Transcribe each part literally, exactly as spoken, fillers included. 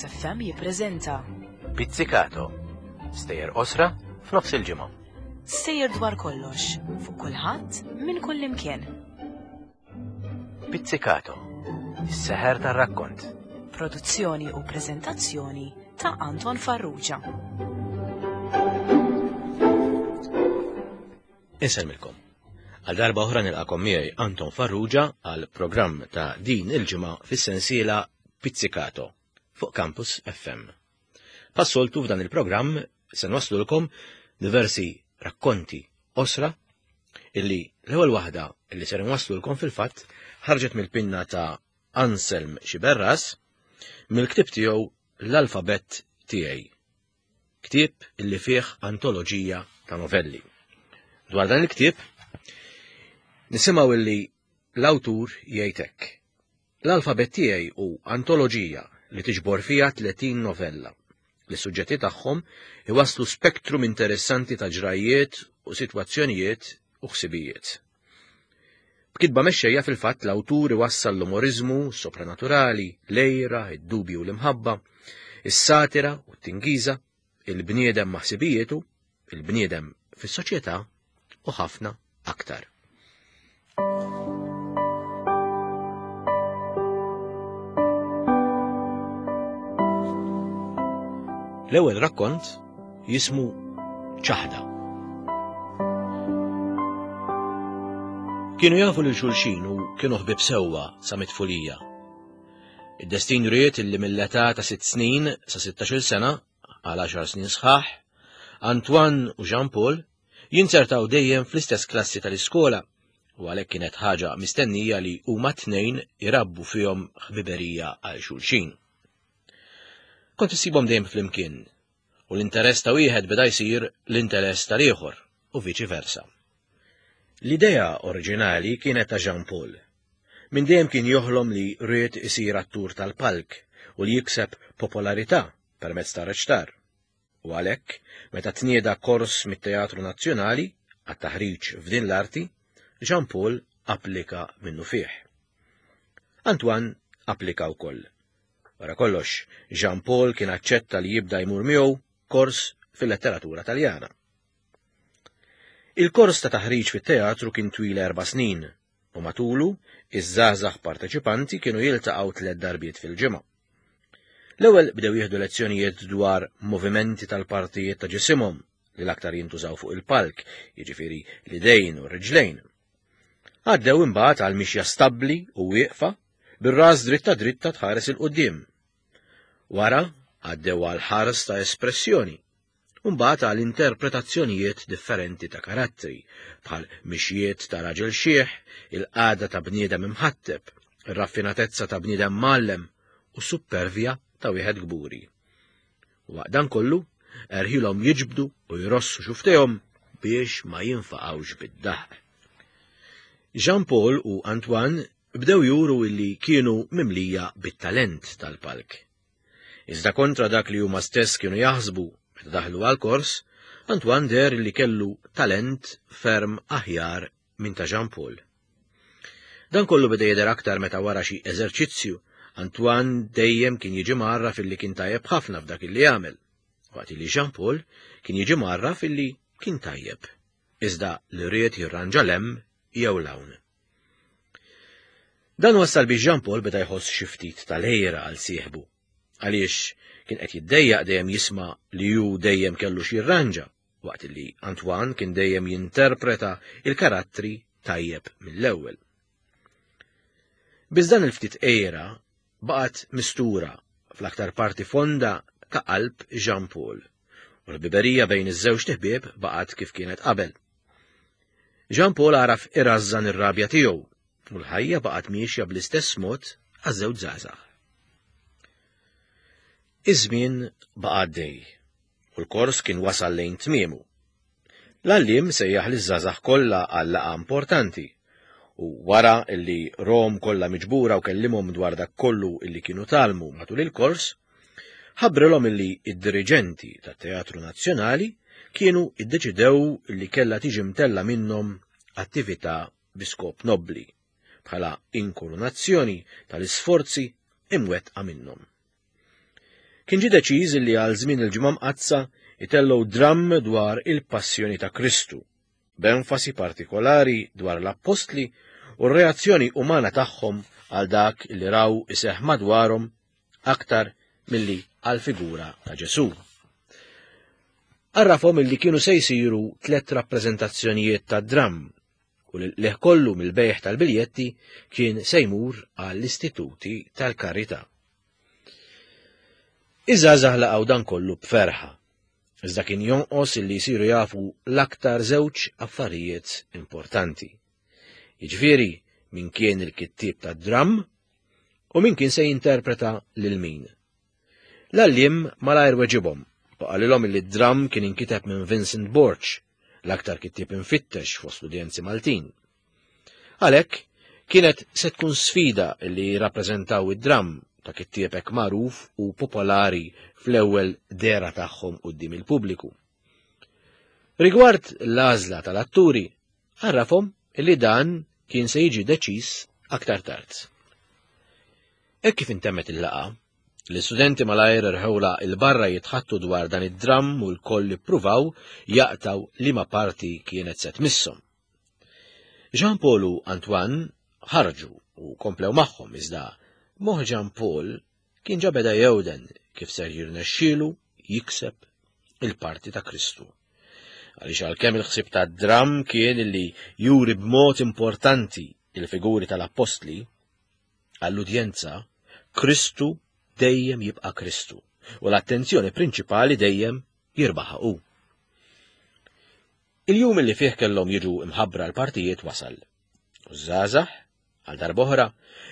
Campus F M jippreżenta Pizzicato. Stejjer qosra f'nofs il-ġimgħa. Stejjer dwar kollox, fuq kulħadd, minn kull imkien. Pizzicato. Is-seħer tar-rakkont. Produzzjoni u preżentazzjoni ta' Anton Farrugia. Insellmilkom. Għal darba oħra nilqakom miegħi Anton Farrugia għal programm ta' din il-ġimgħa fis-sensiela Pizzicato fuq Campus F M. Passoltu f'dan il-programm se nwaslulkom diversi rakkonti osra illi l-ewwel waħda illi ser nwaslulkom fil-fatt ħarġet mill-pinna ta' Anselm Sciberras mill-ktieb tiegħu L-Alfabett Tiegħi. Ktieb illi fih antoloġija ta' novelli. Dwar dan il-ktieb nisimgħu illi l-awtur jgħid hekk. L-Alfabett Tiegħi hu antoloġija li tiġbor fiha tletin novella li suġġetti tagħhom iwasslu spektrum interessanti ta' ġrajiet u sitwazzjonijiet u ħsibijiet. B'kitba mexxejja fil-fatt l-awtur iwassal l-umoriżmu sopranaturali, l-għira, id-dubju u l-imħabba, is-satira u t-tingiża, il-bniedem ma' ħsibijietu, il-bniedem fis-soċjetà u ħafna aktar. L-ewwel rakkont jismu Ċaħda. Kienu jafu lil xulxin u kienu ħbieb sewwa sa mitfulija. Id-destin ried illi mill-età ta' sitt snin sa sittax-il sena għal għaxar snin sħaħ, Antoine u Jean Paul jinzertaw dejjem fl-istess klassi tal-iskola u għalhekk kienet ħaġa mistennija li huma tnejn irabbu fihom ħbiberija għal xulxin. Kont issibhom dejjem flimkien u l-interess ta' wieħed beda jsir l-interess tal-ieħor u viċi versa. L-idea oriġinali kienet ta' Jean Paul. Minn dejjem kien joħlom li ried isir attur tal-palk u li jikseb popolarità permezz ta' reċtar. U għalhekk, meta tnieda kors mit-Teatru Nazzjonali għat-taħriġ f'din l-arti, Jean Paul applika minnu fih. Antoine applika wkoll. Wara kollox, Jean Paul kien aċċetta li jibda jmur miegħu kors fil-letteratura Taljana. Il-kors ta' taħriġ fit-teatru kien twil erba' snin u matulu iż-żgħażagħ parteċipanti kienu jiltaqgħu tliet darbiet fil-ġimgħa. L-ewwel bdew jieħdu lezzjonijiet dwar movimenti tal-partijiet ta' ġisimhom li l-aktar jintużaw fuq il-palk, jiġifieri l-idejn u r-riġlejn. Għaddew imbagħad għal mixja stabbli u wieqfa bir-ras dritta dritta tħares il-quddiem. Wara għaddew għal ħars ta' espressjoni, u mbagħad għal interpretazzjonijiet differenti ta' karattri, bħal mixjiet ta' raġel xieħ, il-qagħda ta' bniedem imħatteb, ir-raffinatezza ta' bniedem mgħallem u supervja ta' wieħed kburi. U waqt dan kollu, erħilhom jiġbdu u jrossu xuftejhom biex ma jinfaqgħux bid-daħq. Jean Paul u Antoine bdew juru illi kienu mimlija bit-talent tal-palk. Iżda kontra dak li huma stess kienu jaħsbu meta daħlu għal-kors, Antoine deher li kellu talent ferm aħjar minn ta' Jean Paul. Dan kollu beda jidher aktar meta wara xi eżerċizzju, Antoine dejjem kien jiġi mgħarraf illi kien tajjeb ħafna f'dak illi jagħmel, waqt li Jean Paul kien jiġi mgħarraf illi kien tajjeb, iżda li ried jirranġa l-hemm jew l-hawn. Dan wassal biex Jean Paul beda jħoss xi ftit tal-għira għal sieħbu, għaliex kien qed jiddejjaq dejjem jisma' li hu dejjem kellu xi jirranġa, waqt li Antoine kien dejjem jinterpreta il-karattri tajjeb mill-ewwel. Biss dan il-ftit għira baqgħet mistura fl-aktar parti fonda ta' qalb Jean Paul, u l-biberija bejn iż-żewġ ħbieb baqgħet kif kienet qabel. Jean Paul għaraf irrażżan ir-rabja tiegħu, u l-ħajja baqgħet miexja bl-istess mod għaż-żewġ żgħażagħ. Iż-żmien baqa' għaddej, u l-kors kien wasal lejn tmiemu. L-għalliem sejjaħ liż-żgħażagħ kollha għal laqgħa importanti, u wara illi rom kollha miġbura u kellimhom dwar dak kollu illi kienu talmu matul il-kors, ħabbrilhom illi id-diriġenti tat-Teatru Nazzjonali kienu iddeċidew illi kellha tiġi mtella minnhom attività bi skop nobbli, bħala inkurunazzjoni tal-isforzi imwettqa minnhom. Kien ġie deċiż li għal żmien il-Ġimgħa Mqaddsa itellgħu dramm dwar il-passjoni ta' Kristu, b'enfasi partikolari dwar l-appostli u r-reazzjoni umana tagħhom għal dak li raw iseħħ madwarhom aktar milli għal figura ta' Ġesù. Għarrafhom illi kienu se jsiru tliet rappreżentazzjonijiet ta' dramm u li kollu mill-bejgħ tal-biljetti kien se jmur għall-istituti tal-karità. Iż-żgħażagħ laqgħu dan kollu b'ferħa, iżda kien jonqos illi jsiru jafu l-aktar żewġ affarijiet importanti. Jiġifieri min kien il-kittieb tad-dramm u min kien se jinterpreta lil min. L-għalliem malajr weġibhom u qalilhom illi d-dramm kien inkiteb minn Vincent Borg, l-aktar kittieb infittex fost l-udjenzi Maltin. Għalhekk kienet se tkun sfida li jirrappreżentaw id-dramm ta' kittieb hekk magħruf u popolari fl-ewwel dehra tagħhom quddiem il-pubbliku. Rigward l-għażla tal-atturi, għarrafhom illi dan kien se jiġi deċiż aktar tard. Hekk kif intemmet il-laqgħa, l-istudenti malajr irħewla il-barra jitħattu dwar dan id-dramm u l-koll ippruvaw jaqtaw liema parti kienet se tmisshom. Jean Paul u Antoine ħarġu u komplew magħhom iżda moħħ Jean Paul kien ġa beda jewden kif ser jirnexxielu jikseb il-parti ta' Kristu. Għaliex għalkemm il-ħsieb tad-dramm kien illi juri b'mod importanti il-figuri tal-appostli, għall-udjenza Kristu dejjem jibqa' Kristu u l-attenzjoni prinċipali dejjem jirbaħha hu. Il-jum li fih kellhom jiġu imħabbra l-partijiet wasal. U żgħażagħ, għal darb'oħra,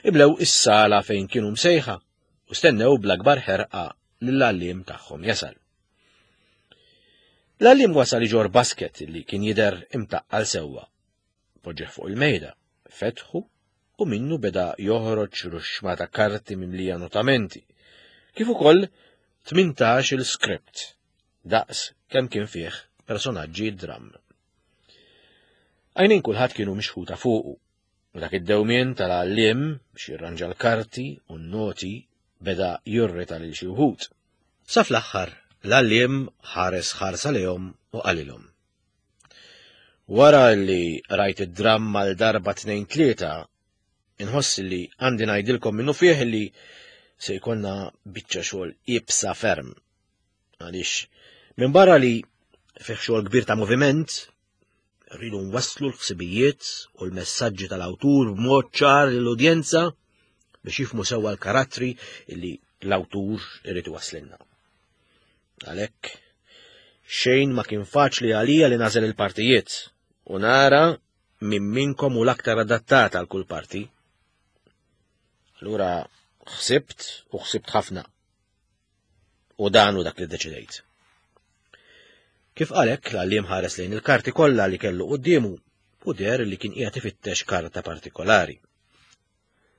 imlew is-sala fejn kienu msejħa u stennew bl-akbar ħerqa lill-għalliem tagħhom jasal. L-għalliem wasal iġorr basket li kien jidher imtaqqal sewwa. Poġġeh fuq il-mejda, fetħu u minnu beda joħroġ ruxxma ta' karti mimlija notamenti, kif ukoll tmintax il-script, daqs kemm kien fih personaġġi dramm. Għajnejn kulħadd kienu mixħuta fuqu, u dak id-dewmien tal-għalliem biex jirranġa l-karti u n-noti beda jurrita lil xi wħud. Sa fl-aħħar l-għalliem ħares ħarsa lejhom u qalilhom. Wara li rajt id-dramm għal darba tnejn tlieta, inħoss li għandi ngħidilkom minnu fih li se jkollna biċċa xogħol iebsa ferm. Għaliex minn barra li fih xogħol kbir ta' moviment, rridu nwasslu l-ħsibijiet u l-messaġġi tal-awtur b'mod ċar lill-udjenza biex jifhmu sewwa l-karattri li l-awtur irid iwasslilna. Għalhekk xejn ma kien faċli għalija li nagħżel il-partijiet u nara minn minkom hu l-aktar adattat għal kull parti. Allura ħsibt u ħsibt ħafna. U dan hu dak li ddeċidejt. Kif qalek, l-għalliem ħares lejn il-karti kollha li kellu quddiemu u deher li kien qiegħed ifittex karta partikolari.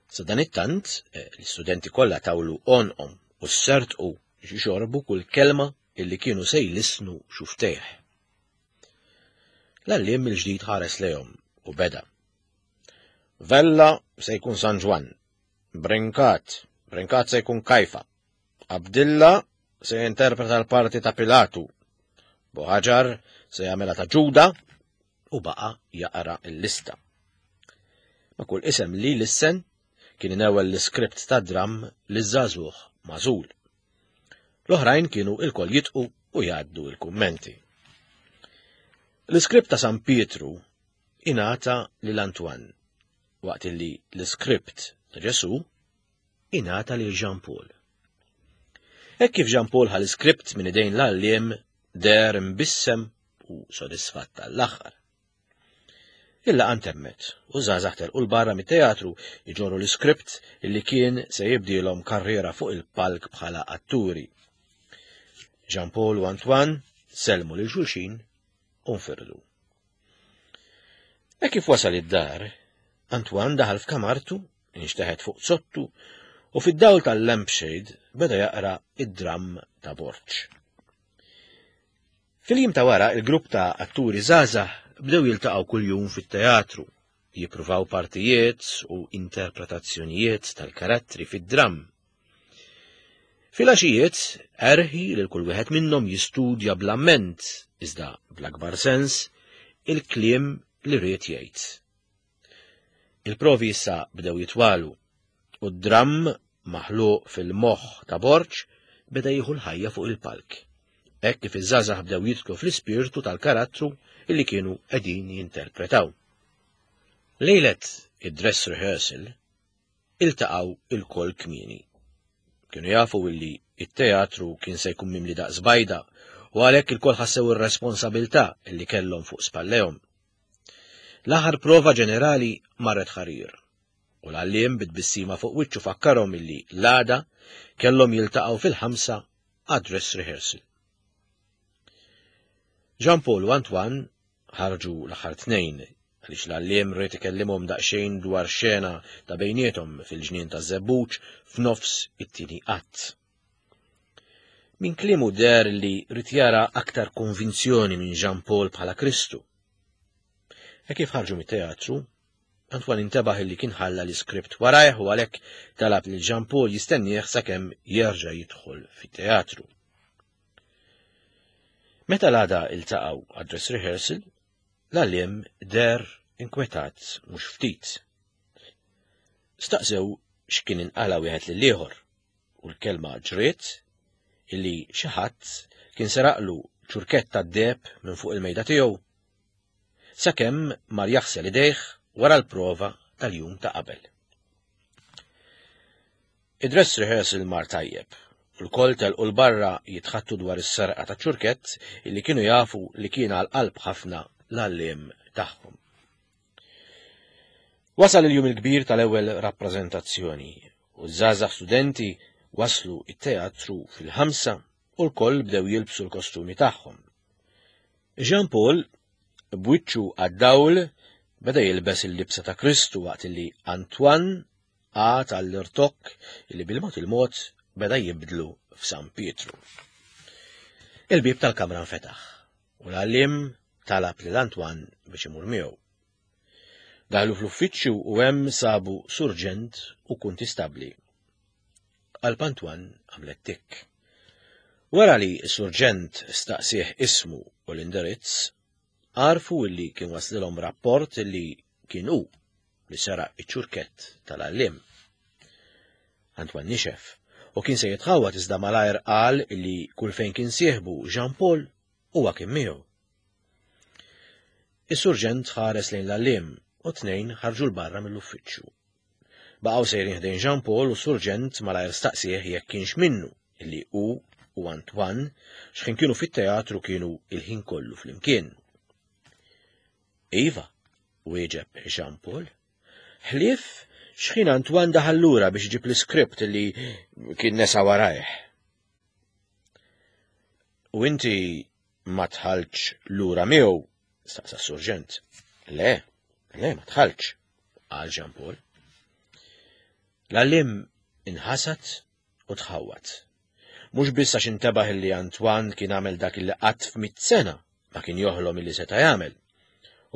Sa dan it-tant, eh, l-istudenti kollha tawlu għonqhom u ssertqu biex jixorbu kull kelma illi kienu se jlissnu xuftejh. L-għalliem mill-ġdid ħares lejhom u beda. Vella se jkun San Ġwann, Brinkat, Brinkat se jkun Kajfa, Abdilla se jinterpreta l-parti ta' Pilatu, Buħaġar se jagħmilha ta' Ġuda u baqa' jaqra l-lista. Ma' kull isem li lissen kien inewel l-iskript ta' dramm li żagħżugħ magħżul. L-oħrajn kienu il-koll jitqu u jgħaddu il-kummenti. L-iskript ta' San Pietru ingħata lil Antoine, waqt li l-iskript ta' Ġesu ingħata lil Jean Paul. Hekk kif Jean Paul ħa l-iskript minn idejn l-għalliem deher imbissem u sodisfatt tal-aħħar. Il-laqgħa ntemmet u żgħażagħ telqu 'l barra mit-teatru iġorru l-iskript illi kien se jibdielhom karriera fuq il-palk bħala atturi. Jean Paul u Antoine sellmu lil xulxin u nfirdu. Hekk kif wasal id-dar, Antoine daħal f'kamartu, inxteħet fuq sottu u fid-dawl tal-lampshade beda jaqra id-dramm ta' Borg. Fil-jiem ta' wara, il-grupp ta' atturi żgħażagħ bdew jiltaqgħu kuljum fit-teatru, jippruvaw partijiet u interpretazzjonijiet tal-karattri fid-dramm. Filgħaxijiet erħi lil kull wieħed minnhom jistudja bl-amment, iżda bl-akbar sens, il-kliem li ried jgħid. Il-provi issa bdew jitwalu u d-dramm maħluq fil-moħħ ta' Borg beda jieħu l-ħajja fuq il-palk. Hekk kif iż-żgħażagħ bdew jidħlu fl-ispirtu tal-karattru illi kienu qegħdin jinterpretaw. Lejlet id-dress rehearsal iltaqgħu ilkoll kmieni. Kienu jafu illi it-teatru kien se jkun mimli daqs bajda u għalhekk ilkoll ħassew ir-responsabilità illi kellhom fuq spallejhom. L-aħħar prova ġenerali marret ħarir u l-għalliem bit-tbissima fuq wiċċu fakkarhom illi l-għada kellhom jiltaqgħu fil-ħamsa għad-dress rehearsal. Jean Paul u Antoine ħarġu l-aħħar tnejn għaliex l-għalliem ried ikellimhom daqsxejn dwar xena ta' bejniethom fil-ġnien ta' Żebbuġ f'nofs it-tieni att. Min kliemu deher li ried jara aktar konvinzjoni minn Jean Paul bħala Kristu. E kif ħarġu mit-teatru, Antoine intebaħ li kien ħalla l-iskript warajh u għalhekk talab lil Jean Paul jistennieh sakemm jerġa' jidħol fit-teatru. Meta l-għada iltaqgħu għad-dress rehearsal, l-għalliem deher inkwetat mhux ftit. Staqsew x'kien inqala wieħed lill-ieħor u l-kelma ġriet illi xi ħadd kien seraqlu ċurkett tad-deheb minn fuq il-mejda tiegħu sakemm mar jaħsel idejh wara l-prova tal-jum ta' qabel. Id-dress rehearsal mar tajjeb u lkoll telqu 'l barra jitħaddtu dwar is-serqa ta' ċurkett illi kienu jafu li kien għal qalb ħafna l-għalliem tagħhom. Wasal il-jum il-kbir tal-ewwel rappreżentazzjoni u ż-żgħażagħ studenti waslu it-teatru fil-ħamsa u lkoll bdew jilbsu l-kostumi tagħhom. Jean Paul b'wiċċu għad-dawl beda jilbes il-libsa ta' Kristu waqt li Antoine qagħad għall-irtokk illi bil-mod il-mod beda jibdlu f'San Pietru. Il-bib tal-kamra nfetaħ u l-għalliem talab lil Antoine biex imur miegħu. Daħlu fl-uffiċċju u hemm sabu surġent u kuntistabbli. Qalb Antoine għamlet tik. Wara li s-surġent staqsieh ismu u l-indirizz, għarfu illi kien waslilhom rapport illi kien hu li seraq iċ-ċurkett tal-għalliem. Antoine nixef u kien se jitħawwad iżda malajr qal illi kull fejn kien sieħbu Jean Paul huwa kien miegħu. Is-surġent ħares lejn l-għalliem u tnejn ħarġu 'l barra mill-uffiċċju. Baqgħu sejrin ħdejn Jean Paul u s-surġent malajr staqsieh jekk kienx minnu illi hu u Antoine x'ħin kienu fit-teatru kienu il-ħin kollu flimkien. Iva, wieġeb Jean Paul. Ħlief x'ħin Antoine daħal lura biex iġib l-iskript li kien nesa warajh. U inti ma dħaltx lura miegħu, staqsa s-surġent. Le, le, ma dħaltx, qal Jean Paul. L-għalliem inħasad u tħawwad. Mhux biss għax intebaħ li Antoine kien għamel dak li qatt f'mitt sena ma kien joħlom illi seta' jagħmel.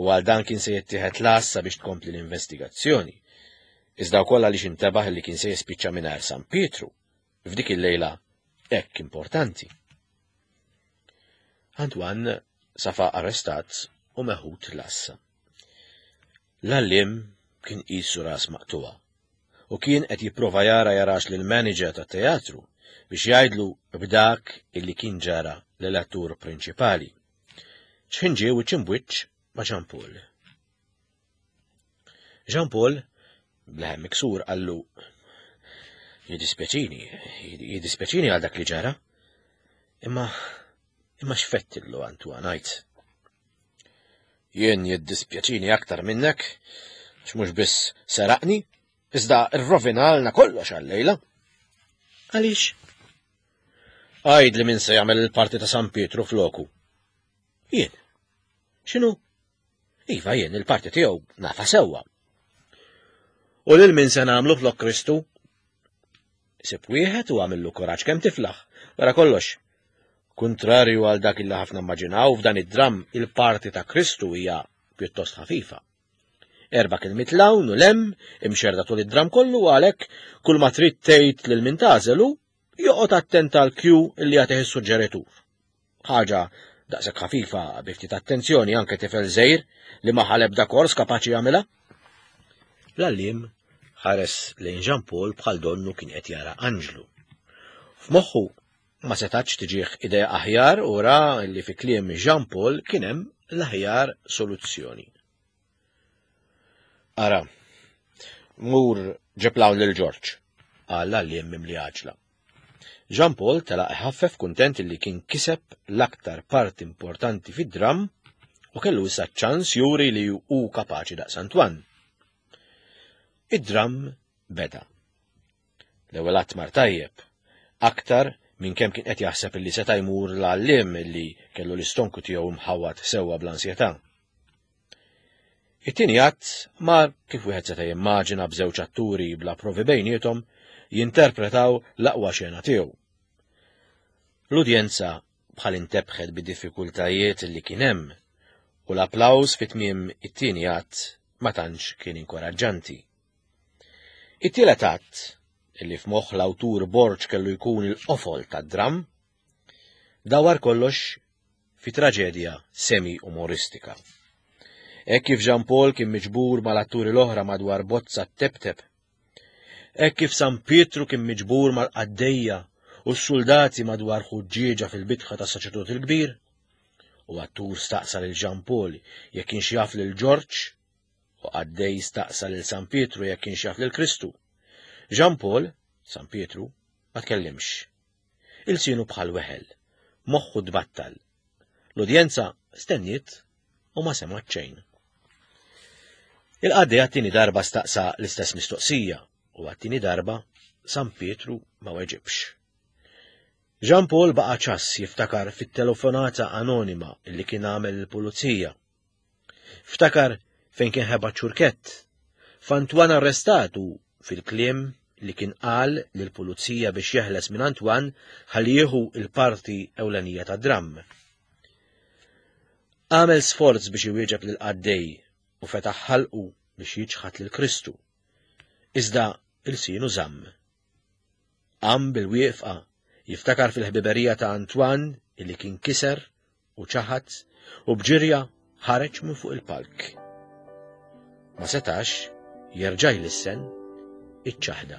U għal dan kien se jittieħed l-għassa biex tkompli l-investigazzjoni. Iżda wkoll għaliex intebaħ li kien se jispiċċa mingħajr San Pietru f'dik il-lejla hekk importanti. Antoine safa arrestat u meħud l-għassa. L-għalliem kien qisu ras maqtugħa u kien qed jipprova jara jarax lil manager tat-teatru biex jgħidlu b'dak illi kien ġara l-attur prinċipali. X'ħin ġie wiċċ imbwiċċ ma' Jean Paul. Jean Paul, b'leħen miksur, qallu jiddispjaċini, jiddispjaċini għal dak li ġara. Imma, imma x'fettillu Antoine għid. Jien jiddispjaċini aktar minnek, għax mhux biss seraqni, iżda rrovinalna kollox għal-lejla. Għaliex? Għid li min se jagħmel il-parti ta' San Pietru floku. Jien. X'inhu? Iva jien il-parti tiegħu nafa sewwa. U lil min se nagħmlu flok Kristu? Sib wieħed u għamillu kuraġġ kemm tiflaħ. Wara kollox. Kuntrarju għal dak illi ħafna immaġinaw f'dan id-dram il-parti ta' Kristu hija pjuttost ħafifa. Erba' kelmiet 'l hawn u 'l hemm imxerrda tul id-dram kollu għalhekk kull ma trid tgħid lil min tagħżel hu Joqgħod attent għal Q illi jagħtih is-suġġeritur. Ħaġa daqshekk ħafifa bi ftit attenzjoni anke tifel żgħir li ma ħa l-ebda kors kapaċi jagħmilha. L-għalliem ħares lejn Jean Paul bħal donnu kien qed jara anġlu. F'moħħu ma setax tiġih idea aħjar u ra li fi kliem Jean Paul kien hemm l-aħjar soluzzjoni. Ara, mur ġib 'l hawn lil Ġorġ, qal l-għalliem mimli għaġla. Jean Paul telaq iħaffef kuntent li kien kiseb l-aktar parti importanti fid-dram u kellu issa ċans juri li hu kapaċi daqs Antoine. Id-dram beda. L-ewwel att mar tajjeb, aktar minn kemm kien qed jaħseb li seta' jmur l-għalliem li kellu l-istonku tiegħu mħawwad sewwa bl-ansjetà. It-tieni att mar kif wieħed seta' jimmaġina b'żewġ atturi bla provi bejniethom jinterpretaw l-aqwa xena tiegħu. L-udjenza bħal intebħet bid-diffikultajiet li kien hemm u l-applaws fi tmiem it-tieni att ma tantx kien inkoraġġanti. It-tielet att, illi f'moħħ l-awtur Borg kellu jkun il-qofol tad-dram, dawar kollox fi traġedja semi-umoristika. Hekk kif Jean Paul kien miġbur mal-atturi l-oħra madwar bozza teptep, hekk kif San Pietru kien miġbur mal-qaddejja u s-soldati madwar ħuġġieġa fil-bitħa tas-saċerdot il-kbir, u attur staqsa lil Jean Paul jekk kienx jaf lil Ġorġ, u qaddej staqsa lil San Pietru jekk kienx jaf lil Kristu. Jean Paul, San Pietru, ma tkellimx. Ilsienu bħal weħel, moħħu tbattal. L-udjenza stenniet u ma semgħet xejn. Il-qaddej għat-tieni darba staqsa l-istess mistoqsija u għat-tieni darba San Pietru ma weġibx. Jean Paul baqa' ċass jiftakar fit-telefonata anonima li kien għamel il-pulizija. Ftakar fejn kien ħeba ċurkett, f'Antoine arrestat u fil-kliem li kien qal lill-pulizija biex jeħles minn Antoine ħalli jieħu il-parti ewlenija tad-dramm. Għamel sforz biex iwieġeb lill-qaddej u fetaħ ħalqu biex jiċħad lil Kristu. Iżda ilsienu żamm. Qam bil-wieqfa jiftakar fil-ħbiberija ta' Antoine illi kien kiser u ċaħad u bġirja ħareġ minn fuq il-palk. Ma setax jerġa' jlissen iċ-ċaħda.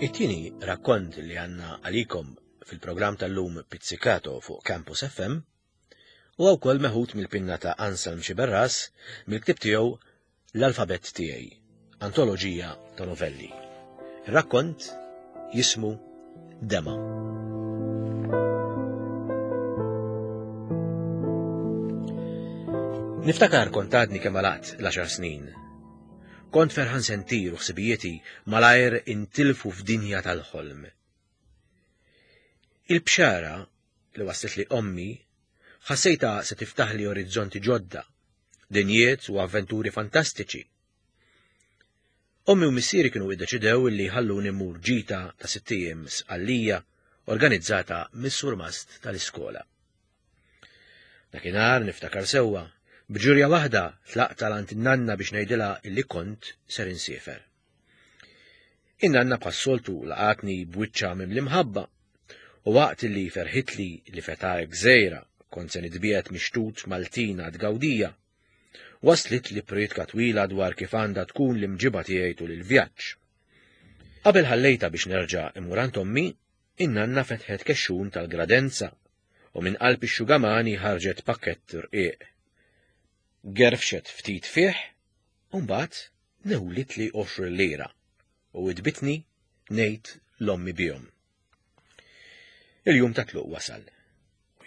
It-tieni rakkont li għandna għalikom fil-programm tal-lum Pizzicato fuq Campus F M huwa wkoll meħud mill-pinna ta' Anselm Sciberras mill-ktieb tiegħu L-Alfabett Tiegħi, antoloġija ta' novelli. Ir-rakkont jismu Dema. Niftakar kont għadni kemm għalaqt l-għaxar snin. Kont ferħan sentir u ħsibijieti malajr intilfu f'dinja tal-ħolm. Il-bxara li waslet li ommi ħassejta se tiftaħli orizzonti ġodda, dinjiet u avventuri fantastiċi. Ommi u missieri kienu iddeċidew li ħalluni mmur ġita ta' sitt ijiem Sqallija organizzata mis-surmast tal-iskola. Dakinhar niftakar sewwa, b'ġurja waħda tlaqt għal għand in-nanna biex ngħidilha illi kont ser insiefer. In-nanna bħas-soltu laqatni b'wiċċha mimli mħabba u waqt li ferħitli li feta gżejra kont se nitbiegħed mixtut Maltina tgawdija, waslit li prietka twila dwar kif għandha tkun l-imġiba tiegħi tul il-vjaġġ. Qabel ħallejta biex nerġa' immur għand ommi, in-nanna fetħet kexxun tal-gradenza u minn qalb ix-xugamani ħarġet pakkett rqiq. Gerfxet ftit fih, u mbagħad newlit li għoxrin lira u idbitni ngħid l-ommi bihom. Il-jum ta' tluq wasal.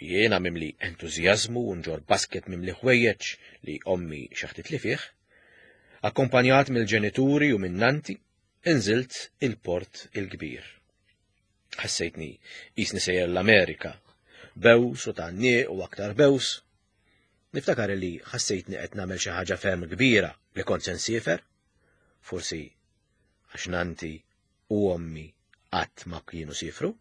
U jiena mimli entużjażmu u nġor basket mimli ħwejjeġ li ommi xaħtit li fih, akkompanjat mill-ġenituri u minn nanti, inżilt il-port il-kbir. Ħassejtni qisni sejjer l-Amerika, bews u tgħanniq u aktar bews. Niftakar li ħassejtni qed nagħmel xi ħaġa ferm kbira li kont se nsiefer, forsi għax nanti u ommi qatt ma kienu siefru.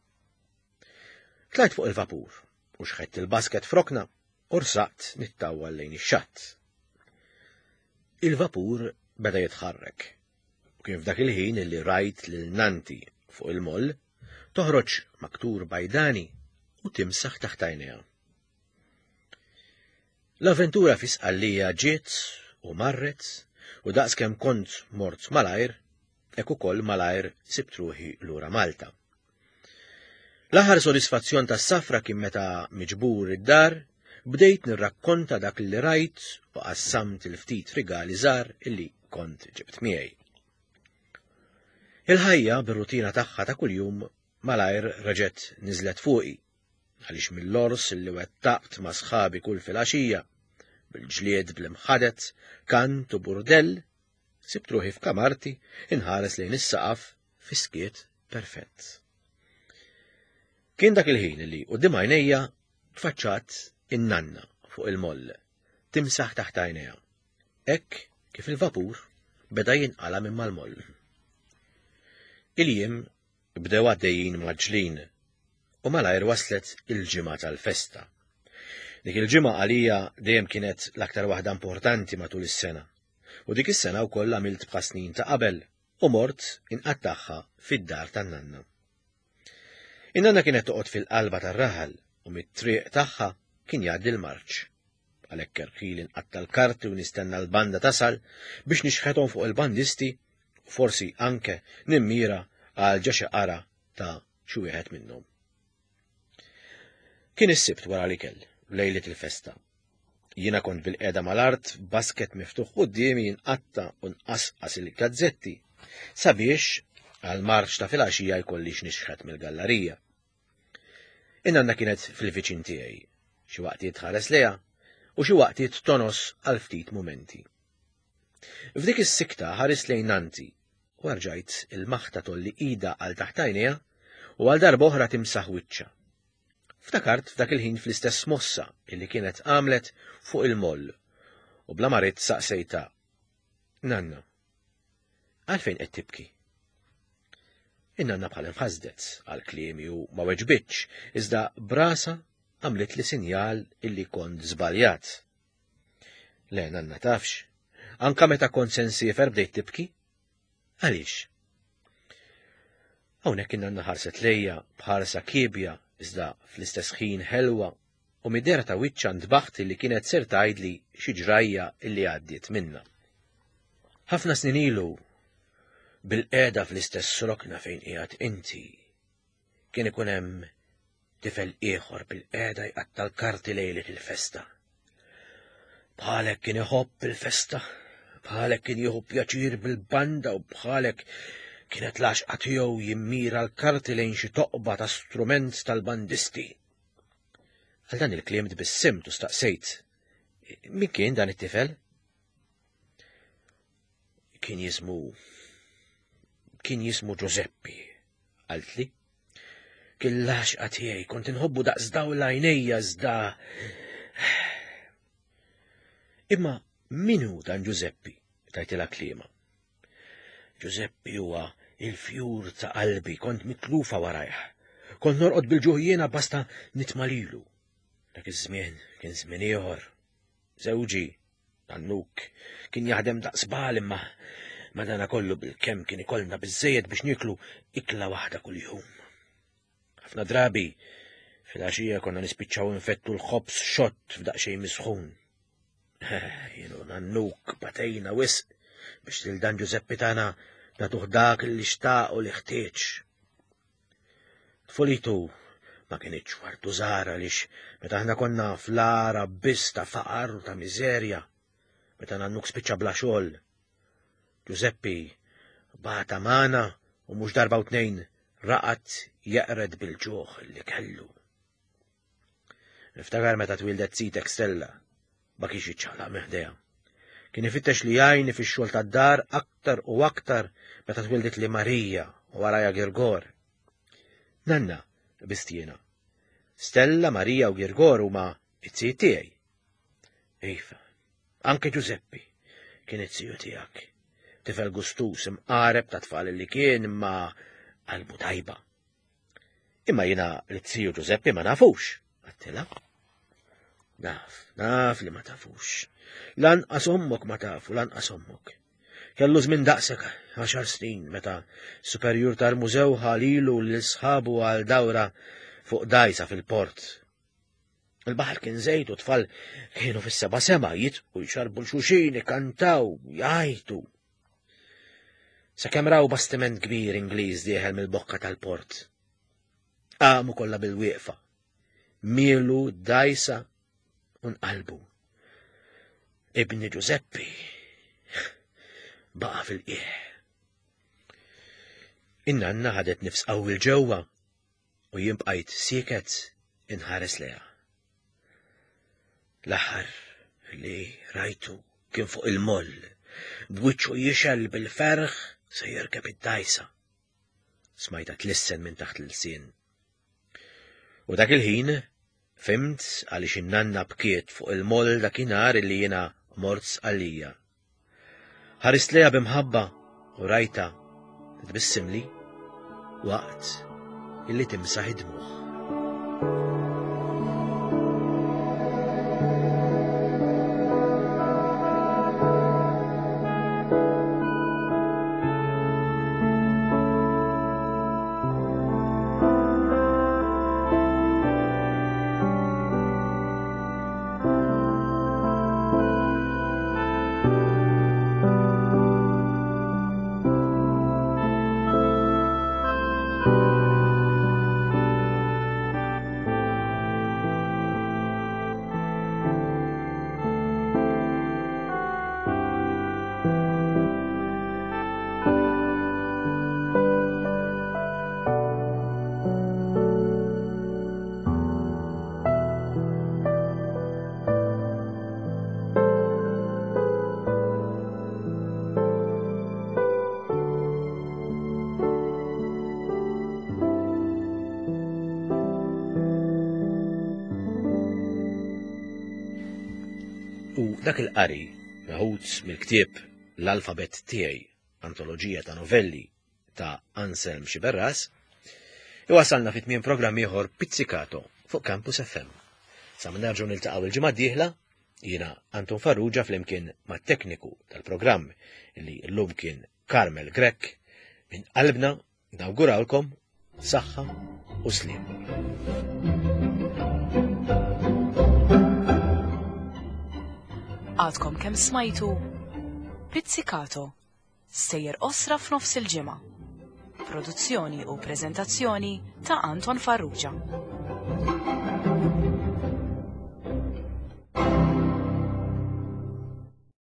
Tlajt fuq il-vapur u xħett il-basket f'rokna u rsaqt nittawwal lejn ix-xatt. Il-vapur beda jitħarrek u kien f'dak il-ħin illi rajt lil nanti fuq il-moll toħroġ maktur bajdani u timsaħ taħt għajnejha. L-avventura fi Sqallija ġiet u marret u daqskemm kont mort malajr, hekk ukoll malajr sibt ruħi lura Malta. L-aħħar sodisfazzjon tas-safra kien meta miġbur id-dar bdejt nirrakkonta dak li rajt u qassamt il-ftit rigali żgħar illi kont ġibt miegħi. Il-ħajja bir-rutina tagħha ta' kuljum malajr reġgħet niżlet fuqi, għaliex mill-ors li wettaqt ma' sħabi kull filgħaxija, bil-ġlied bl-imħadet, kant u burdell, sibt ruħi f'kamarti inħares lejn is-saqaf fi skiet perfett. Kien dak il-ħin li quddiem għajnejja tfaċċat in-nanna fuq il-moll, timsaħ taħt għajnejha, hekk kif il-vapur beda jinqala minn mal-moll. Il-jiem bdew għaddejjin mgħaġġlin u malajr waslet il-ġimgħa tal-festa. Dik il-ġimgħa għalija dejjem kienet l-aktar waħda importanti matul is-sena. U dik is-sena wkoll għamilt bħal snin ta' qabel u mort inqattagħha fid-dar tan-nanna. In-nanna kienet toqgħod fil-qalba tar-raħal u mit-triq tagħha kien jgħaddi l-marċ. Għalhekk irħili nqatta' l-karti u nistenna l-banda tasal biex nixħethom fuq il-bandisti u forsi anke nimmira għal ġo xi qara ta' xi wieħed minnhom. Kien is-Sibt wara l-ikel, lejlet il-festa. Jiena kont bil-qiegħda mal-art, basket miftuħ quddiemi nqatta' u nqasqas il-gazzetti sabiex għal marċ ta' filgħaxija jkolli x'nixħet mill-gallarija. In-nanna kienet fil-viċin tiegħi, xi waqtiet tħares lejha u xi waqtiet tonos għal ftit mumenti. F'dik is-sikta ħares lejn nanti u rajt il-maħta tgħolli idha għal taħt għajnejha u għal darba oħra timsaħ wiċċha. Ftakart f'dak il-ħin fl-istess mossa illi kienet għamlet fuq il-moll u bla ma ridt saqsejtha. Nanna, għalfejn qed tibki? In-nanna bħal inħasdet għal kliemi u ma weġbitx, iżda b'rasha għamlet li sinjal illi kont żbaljat. Le, nanna tafx, anka meta kont se nsiefer bdejt tibki? Għaliex? Hawnhekk in-nanna ħarset lejja b'ħarsa kiebja iżda fl-istess ħin ħelwa u mid-dehra ta' wiċċha ntbaħt li kienet ser tgħidli xi ġrajja illi għaddiet minna. Ħafna snin ilu bil-qiegħda fl-istess rokna fejn qiegħed inti kien ikun hemm tifel ieħor bil-qiegħda jqatta' l-karti lejlet il-festa. Bħalek kien iħobb il-festa, bħalek kien jieħu pjaċir bil-banda u bħalek kienet l-għaxqa tiegħu jimmira l-karti lejn xi toqba ta' strument tal-bandisti. Għal dan il-kliem tbissimt u staqsejt. Min kien dan it-tifel? Kien jismu kien jismu Giuseppi, qaltli. Kien l-għaxqa tiegħi, kont inħobbu daqs dawl għajnejja iżda. Imma min hu dan Giuseppi? Tajtilha kliema. Giuseppi huwa il-fjur ta' qalbi, kont mitlufa warajh. Kont norqod bil-ġuħ jiena basta nitma' lilu. Dak iż-żmien kien żmien ieħor. Żewġi, Nannuk, kien jaħdem daqs bagħal imma madana kollu bil-kemm kien ikollna biżejjed biex nieklu ikla waħda kuljum. Ħafna drabi fil-għaxija konna nispiċċaw infettu l-ħobż xott f'daqsxejn misħun. Jien u Nannuk batejna wisq biex lil dan Giuseppi tagħna nagħtuh dak li xtaq u li ħtieġ. Tfulitu ma kinitx wartu żgħar għaliex meta aħna konna fl-agħar biss ta' faqar u ta' miżerja, meta Nannuk spiċċa bla xogħol. Giuseppi bata magħna u mhux darba u tnejn raqad jeqred bil-ġuħ li kellu. Niftakar meta twildet sitek Stella, ma kienx jiċċaqlaq minn ħdejha. Kien ifittex li jgħinni fix-xogħol tad-dar aktar u aktar meta twildet li Marija u warajha Girgor. Nanna, qbiżt jiena. Stella, Marija u Girgor huma it-zijiet tiegħi. Iva, anke Giuseppi kien it-ziju tiegħek. Tifel gustus imqareb ta' tfal li kien imma qalbu tajba. Imma jiena l-ziju Giuseppi ma nafux, Għedtilha. Naf, naf li ma tafux. Lanqas ommok ma tafu, lanqas ommok. Kellu żmien daqsek għaxar snin meta superjur tal-mużew ħa lilu lil sħabu għal dawra fuq dajsa fil-port. Il-baħar kien żejt u tfal kienu fis-seba' sema jitqu jxarbu l-xuxin, ikantaw, jgħajtu. Sakemm raw bastiment kbir Ingliż dieħel mill-bokka tal-port. Qamu kollha bil-wieqfa. Mielu dajsa u nqalbu. Ibni Giuseppi baqa' fil-qiegħ. In-nanna ħadet nifs qawwi 'l ġewwa u jien bqajt sieket inħares lejha. L-aħħar li rajtu kien fuq il-moll, b'wiċċu jixgħel bil-ferħ se jirkeb id-dajsa. Smajta tlissen minn taħt l-ilsien. U dak il-ħin fhimt għaliex in-nanna bkiet fuq il-moll dakinhar li jiena mort Sqallija. Ħarist lejha b'imħabba u rajta tbissimli waqt illi timsaħ id-dmugħ. U dak il-qari, meħud mill-ktieb L-Alfabet Tiegħi, antoloġija ta' novelli ta' Anselm Sciberras, iwasalna fit tmiem programm ieħor Pizzicato fuq Campus F M. Sa ma nerġgħu niltaqgħu il-ġimgħa d-dieħla, jiena Anton Farrugia flimkien mat-tekniku tal-programm li llum kien Carmel Grech, minn qalbna nawgurawlkom saħħa u sliem. Għadkom kemm smajtu Pizzicato, sejjer osra f'nofs il-ġimgħa. Produzzjoni u preżentazzjoni ta' Anton Farrugia.